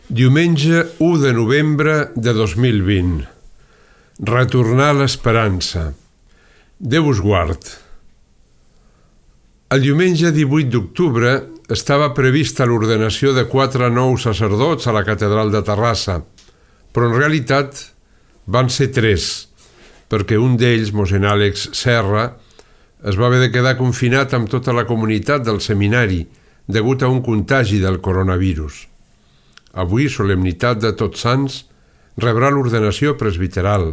Diumenge 1 de novembre de 2020. Retornar l'esperança. Déu us guard. El diumenge 18 d'octubre estava prevista l'ordenació de 4 nous sacerdots a la catedral de Terrassa, però en realitat van ser 3, perquè un d'ells, mossèn Àlex Serra, es va haver de quedar confinat amb tota la comunitat del seminari degut a un contagi del coronavirus. Avui, solemnitat de Tots Sants, rebrà l'ordenació presbiteral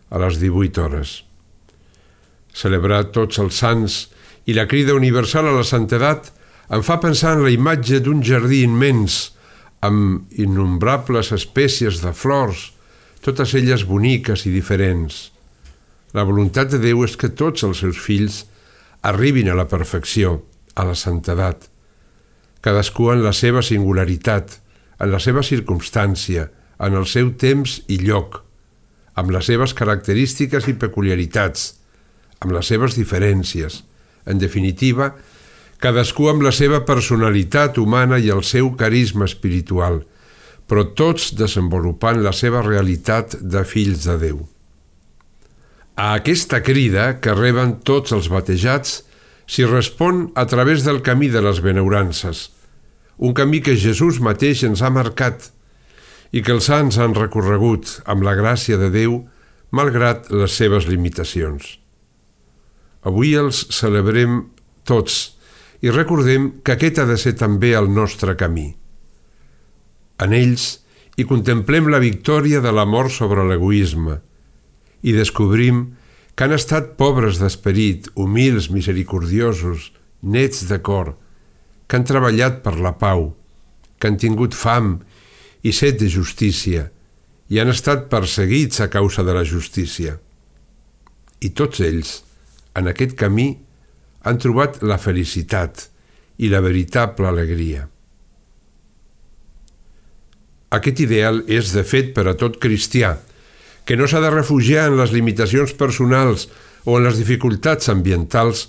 a les 18 hores. Celebrar tots els sants i la crida universal a la santedat em fa pensar en la imatge d'un jardí immens amb innombrables espècies de flors, totes elles boniques i diferents. La voluntat de Déu és que tots els seus fills arribin a la perfecció, a la santedat, cadascú en la seva singularitat, en la seva circumstància, en el seu temps i lloc, amb les seves característiques i peculiaritats, amb les seves diferències. En definitiva, cadascú amb la seva personalitat humana i el seu carisma espiritual, però tots desenvolupant la seva realitat de fills de Déu. A aquesta crida que reben tots els batejats s'hi respon a través del camí de les benaurances, un camí que Jesús mateix ens ha marcat i que els sants han recorregut amb la gràcia de Déu, malgrat les seves limitacions. Avui els celebrem tots i recordem que aquest ha de ser també el nostre camí. En ells hi contemplem la victòria de l'amor sobre l'egoisme i descobrim que han estat pobres d'esperit, humils, misericordiosos, nets de cor, que han treballat per la pau, que han tingut fam i set de justícia i han estat perseguits a causa de la justícia. I tots ells, en aquest camí, han trobat la felicitat i la veritable alegria. Aquest ideal és, de fet, per a tot cristià, que no s'ha de refugiar en les limitacions personals o en les dificultats ambientals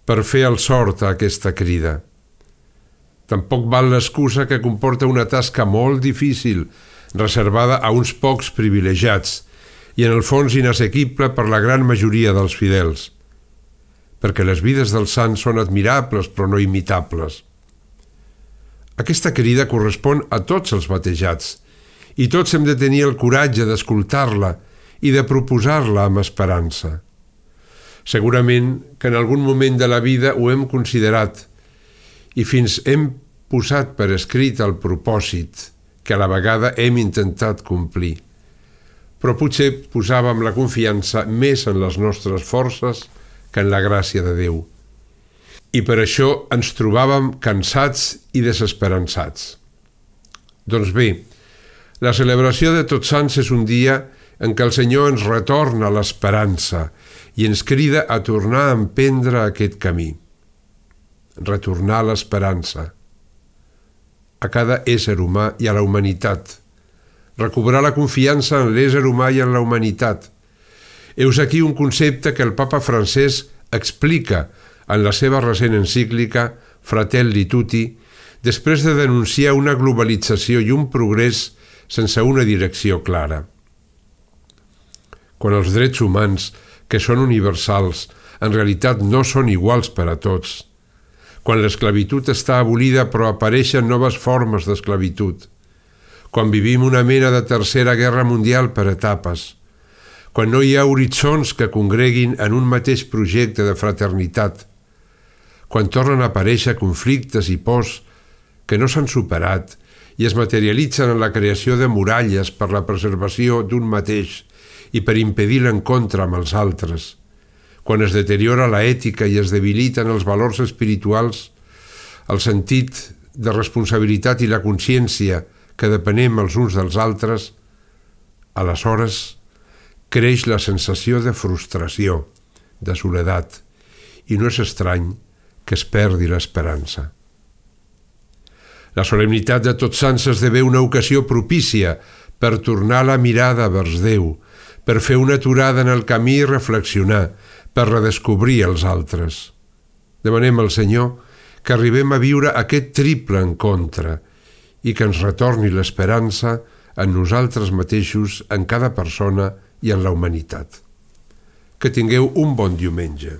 per fer el sort a aquesta crida. Tampoc val l'excusa que comporta una tasca molt difícil, reservada a uns pocs privilegiats i en el fons inassequible per la gran majoria dels fidels, perquè les vides dels sants són admirables però no imitables. Aquesta crida correspon a tots els batejats i tots hem de tenir el coratge d'escoltar-la i de proposar-la amb esperança. Segurament que en algun moment de la vida ho hem considerat i fins hem posat per escrit el propòsit que a la vegada hem intentat complir. Però potser posàvem la confiança més en les nostres forces que en la gràcia de Déu. I per això ens trobàvem cansats i desesperançats. Doncs bé, la celebració de Tots Sants és un dia en què el Senyor ens retorna l'esperança i ens crida a tornar a emprendre aquest camí. Retornar l'esperança a cada ésser humà i a la humanitat, recobrar la confiança en l'ésser humà i en la humanitat. Heus aquí un concepte que el papa Francesc explica en la seva recent encíclica Fratelli Tutti, després de denunciar una globalització i un progrés sense una direcció clara. Quan els drets humans, que són universals, en realitat no són iguals per a tots, quan l'esclavitud està abolida però apareixen noves formes d'esclavitud, quan vivim una mena de tercera guerra mundial per etapes, quan no hi ha horitzons que congreguin en un mateix projecte de fraternitat, quan tornen a aparèixer conflictes i pors que no s'han superat i es materialitzen en la creació de muralles per la preservació d'un mateix i per impedir l'encontre amb els altres, quan es deteriora la ètica i es debiliten els valors espirituals, el sentit de responsabilitat i la consciència que depenem els uns dels altres, aleshores creix la sensació de frustració, de soledat, i no és estrany que es perdi l'esperança. La solemnitat de Tots Sants esdevé una ocasió propícia per tornar la mirada vers Déu, per fer una aturada en el camí i reflexionar, per redescobrir els altres. Demanem al Senyor que arribem a viure aquest triple encontre i que ens retorni l'esperança en nosaltres mateixos, en cada persona i en la humanitat. Que tingueu un bon diumenge.